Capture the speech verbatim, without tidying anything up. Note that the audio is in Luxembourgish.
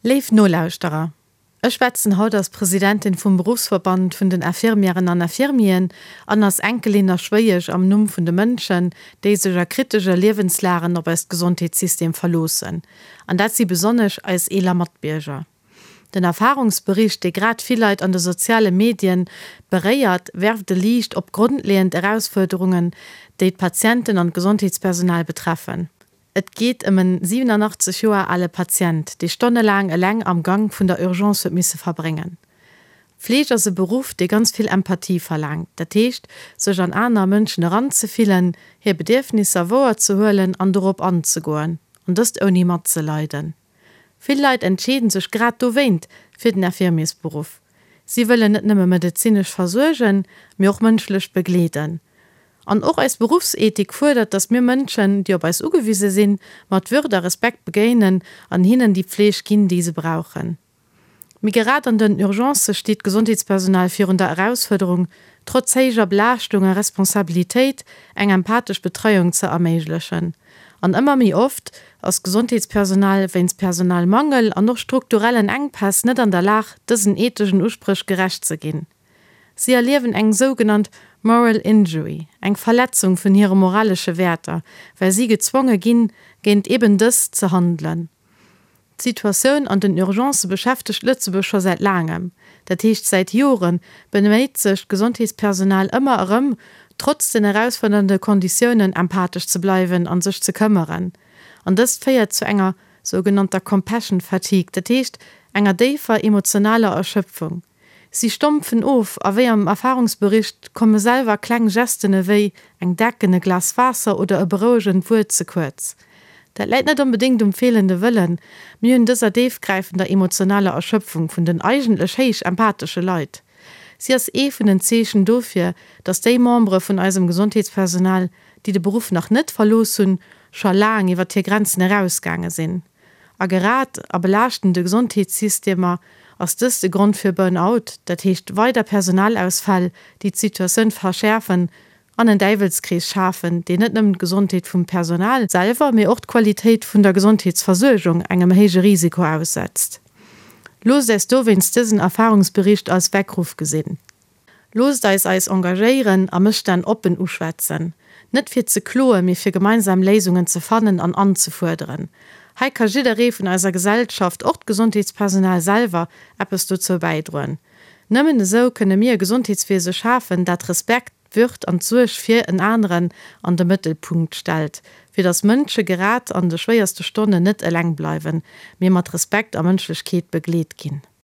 Léif Nolauschterer, ech schwätzen haut als Presidentin vum Beruffsverband vun den Infirmièren an Infirmieren an als Enkelin a Schwéiesch am Numm vun de Mënschen, déi sech a kritesche Liewenslagen op eist Gesondheetssystem verloossen. An dat si besonnesch eis eeler Matbierger. Den Erfarungsbericht, dee grad vill Leit an de soziale Medien beréiert, werft e Liicht op grondleeënd Erausfuerderungen, déi d'Patienten an d'Gesondheetspersonal betreffen. Et geet ëm en siwenanachtzeg Joer ale Patient, dee stonnelaang eleng am Gank vun der Urgence huet misse verbréngen. Fleeg ass e Beruff, dee ganz vill Empathie verlaangt, dat heescht, sech an aner Mënschen eranzefillen, hir Bedierfnisser wouerzehuelen an dorop anzegoen, an dëst ouni matzeleiden. Vill Leit entscheeden sech grad dowéint fir den Infirmiersberuff. Si wëllen net nëmme medezinesch versuergen, mee och mënschlech begleeden. An och eis Beruffsethik fuerdert, dass mir Mënschen, déi op eis ugewise sinn, mat Würd a Respekt begéinen an hinnen déi Pfleeg ginn, déi se brauchen. Mee grad an den Urgencë steet d'Gesondheetspersonal virun der Erausfuerderung, trotz héijer Belaaschtung a Responsabilitéit eng empathesch Betreiung ze erméiglechen. An ëmmer méi oft ass d'Gesondheetspersonal wéinst Personalmangel an och strukturellen Enkpäss net an der Lag, dësen etheschen Uspréch gerecht ze ginn. Si erliewen eng sougenannt moral injury, eng Verletzung vun hire moralesche Wäerter, well si gezwonge ginn, géint eben dës ze handelen. D'Situatioun an den Urgencë beschäftegt Lëtzebuerg scho säit laangem. Dat heescht, säit Jore beméit sech d'Gesondheetspersonal ëmmer erëm, trotz den erausfuerdernde Konditiounen empathesch ze bleiwen a sech ze këmmeren. An dëst féiert zu enger sougenannter compassion fatigue, dat heescht enger déifer emotionaler Erschöpfung. Si stompfen of a wéi am Erfarungsbericht komme selwer kleng Gesten ewéi eng Decken, e Glas Waasser oder e berouegend Wuert ze kuerz. Dat läit net onbedéngt um feelende Wëllen, mee un dëser déifgräifender emotionaler Erschöpfung vun den eigentlech héich empathesche Leit. Si ass ee vun den Zeechen dofir, dass déi Membere vun eisem Gesondheetspersonal, déi de Beruff nach net verlooss hunn, scho laang iwwer hir Grenzen erausgaange sinn. A grad a belaaschtende Gesondheetssystemer ass dëst e Grond fir Burnout, dat heescht weider Personalausfäll, déi d'Situatioun verschäerfen an en Däiwelskrees schafen, deen net nëmmen d'Gesondheet vum Personal selwer, mee och d'Qualitéit vun der Gesondheetsversuergung engem héije Risiko aussetzt. Loosst eis dowéinst dësen Erfarungsbericht als Weckruff gesinn. Loosst eis eis engagéieren a Mësstänn oppen uschwätzen. Net fir ze kloen, mee fir gemeinsam Léisungen ze fannen an anzefuerderen. Hei ka jidderee vun eiser Gesellschaft, och d'Gesondheetspersonal selwer, eppes dozou bäidroen. Nëmmen esou kënne mir e Gesondheetswiese schafen, dat Respekt, d'Würd an d'Suerg fir en aneren an de Mëttelpunkt stellt, fir datt Mënsche grad an de schwéierste Stonnen net eleng bleiwen, mee mat Respekt a Mënschlechkeet begleet ginn.